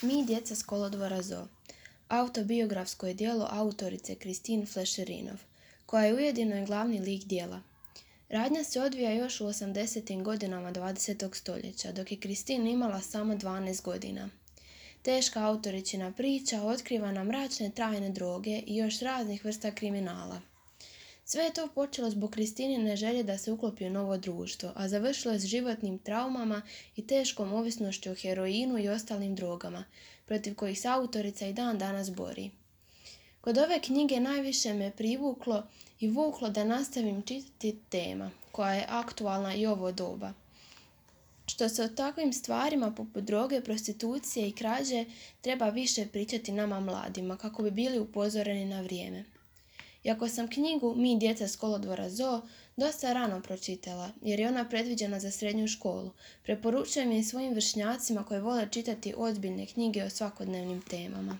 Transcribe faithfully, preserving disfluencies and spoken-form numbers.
Mi, djeca s kolodvora Zoo. Autobiografsko je djelo autorice Christine Flescherinov, koja je ujedino i glavni lik djela. Radnja se odvija još u osamdesetim godinama dvadesetog stoljeća, dok je Christine imala samo dvanaest godina. Teška autoričina priča otkriva nam mračne trajne droge i još raznih vrsta kriminala. Sve je to počelo zbog Kristinine želje da se uklopi u novo društvo, a završilo je s životnim traumama i teškom ovisnošću o heroinu i ostalim drogama, protiv kojih se autorica i dan danas bori. Kod ove knjige najviše me privuklo i vuklo da nastavim čitati tema, koja je aktualna i ovo doba. Što se o takvim stvarima poput droge, prostitucije i krađe treba više pričati nama mladima, kako bi bili upozoreni na vrijeme. Iako sam knjigu Mi, djeca s kolodvora Zoo dosta rano pročitala, jer je ona predviđena za srednju školu, preporučujem je i svojim vršnjacima koji vole čitati ozbiljne knjige o svakodnevnim temama.